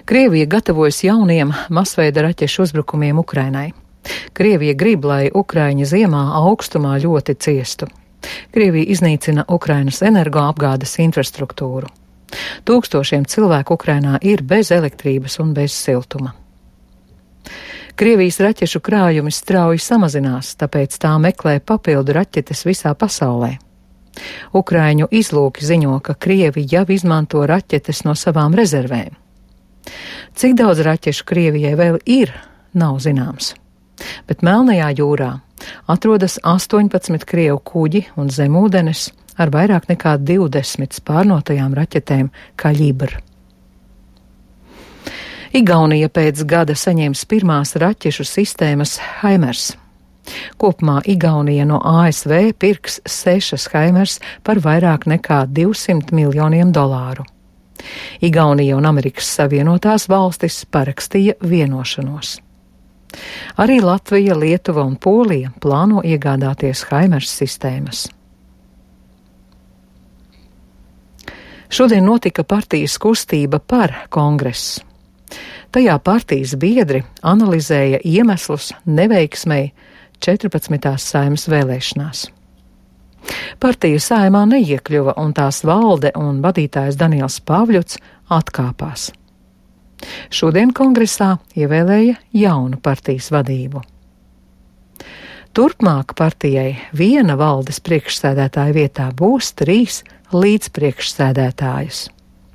Krievija gatavojas jauniem masveida raķešu uzbrukumiem Ukrainai. Krievija grib, lai Ukraiņi ziemā augstumā ļoti ciestu. Krievija iznīcina Ukrainas energoapgādes infrastruktūru. Tūkstošiem cilvēku Ukrainā ir bez elektrības un bez siltuma. Krievijas raķešu krājumi strauji samazinās, tāpēc tā meklē papildu raķetes visā pasaulē. Ukraiņu izlūki ziņo, ka Krievi jau izmanto raķetes no savām rezervēm. Cik daudz raķešu Krievijai vēl ir, nav zināms. Bet Melnajā jūrā atrodas 18 Krievu kuģi un zemūdenes ar vairāk nekā 20 spārnotajām raķetēm Kaļibr. Igaunija pēc gada saņems pirmās raķešu sistēmas HIMARS. Kopumā Igaunija no ASV pirks 6 HIMARS par vairāk nekā $200 miljoniem. Igaunija un Amerikas Savienotās valstis parakstīja vienošanos. Arī Latvija, Lietuva un Polija plāno iegādāties HIMARS sistēmas. Šodien notika partijas kustība par kongresu. Tajā partijas biedri analizēja iemeslus neveiksmei 14. Saeimas vēlēšanās. Partija Saeimā neiekļuva un tās valde un vadītājs Daniels Pavļuts atkāpās. Šodien kongresā ievēlēja jaunu partijas vadību. Turpmāk partijai viena valdes priekšsēdētāja vietā būs 3 līdzpriekšsēdētājas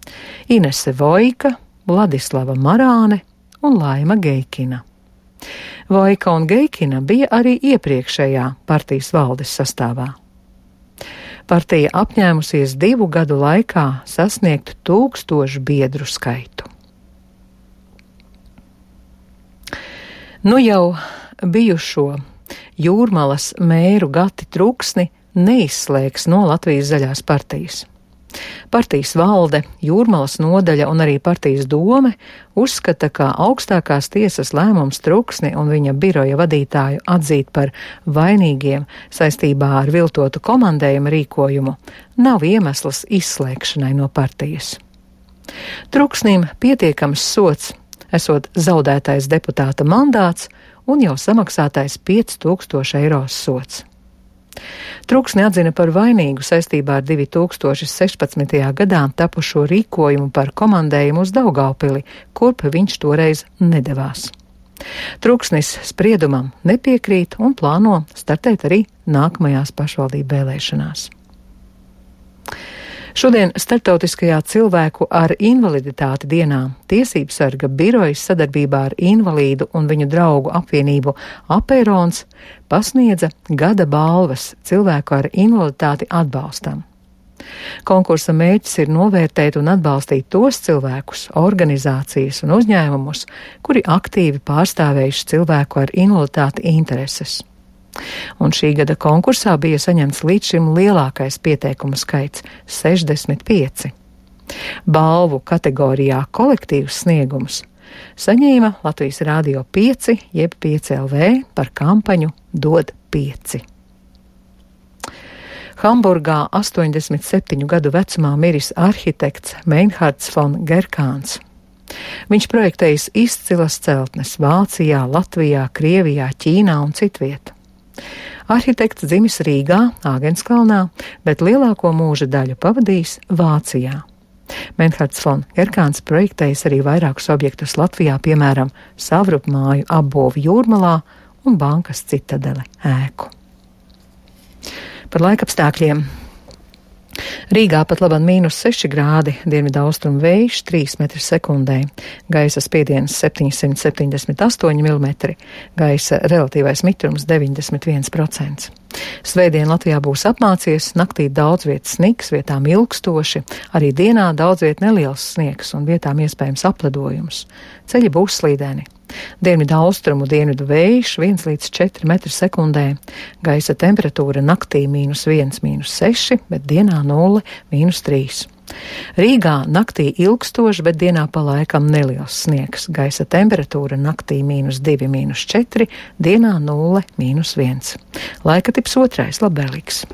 – Inese Voika, Vladislava Marāne un Laima Geikina. Voika un Geikina bija arī iepriekšējā partijas valdes sastāvā. Partija apņēmusies 2 gadu laikā sasniegt 1000 biedru skaitu. Nu jau bijušo Jūrmalas mēru Gati Truksni neizslēgs no Latvijas Zaļās partijas. Partijas valde, Jūrmalas nodaļa un arī partijas dome uzskata, ka augstākās tiesas lēmums Truksni un viņa biroja vadītāju atzīt par vainīgiem saistībā ar viltotu komandējuma rīkojumu nav iemesls izslēgšanai no partijas. Truksnim pietiekams sods, esot zaudētais deputāta mandāts un jau samaksātais 5000 eiro sods. Truksni atzina par vainīgu saistībā ar 2016. gadā tapušo rīkojumu par komandējumu uz Daugavpili, kurp viņš toreiz nedevās. Truksnis spriedumam nepiekrīt un plāno startēt arī nākamajās pašvaldību vēlēšanās. Šodien Starptautiskajā cilvēku ar invaliditāti dienā Tiesību sarga birojas sadarbībā ar invalīdu un viņu draugu apvienību Apeirons pasniedza gada balvas cilvēku ar invaliditāti atbalstam. Konkursa mērķis ir novērtēt un atbalstīt tos cilvēkus, organizācijas un uzņēmumus, kuri aktīvi pārstāvējuši cilvēku ar invaliditāti intereses. Un šī gada konkursā bija saņemts līdz šim lielākais pieteikumu skaits – 65. Balvu kategorijā kolektīvs sniegums saņēma Latvijas Rādio 5 jeb 5LV par kampaņu Dod 5. Hamburgā 87 gadu vecumā miris arhitekts Meinhards von Gerkāns. Viņš projektējis izcilas celtnes Vācijā, Latvijā, Krievijā, Ķīnā un citviet. Arhitekts dzimis Rīgā, Āgenskalnā, bet lielāko mūža daļu pavadījis Vācijā. Meinhards von Gerkāns projektējis arī vairākus objektus Latvijā, piemēram, savrupmāju apbūvi Jūrmalā un bankas Citadele ēku. Par laikapstākļiem. Rīgā pat labam -6 grādi, dienvidaustrumu vējš 3 metri sekundē, gaisa spiediens 778 mm, gaisa relatīvais mitrums 91%. Svētdien Latvijā būs apmācies, naktī daudz vietas sniks, vietām ilgstoši, arī dienā daudz viet neliels sniegs un vietām iespējams apledojums. Ceļi būs slīdēni. Dienvidu austrumu dienvidu vējš 1 līdz 4 metri sekundē, gaisa temperatūra naktī -1, -6, bet dienā 0, -3. Rīgā naktī ilgstoši, bet dienā pa laikam neliels sniegs, gaisa temperatūra naktī -2, -4, dienā 0, -1. Laika tips 2. labvēlīgs.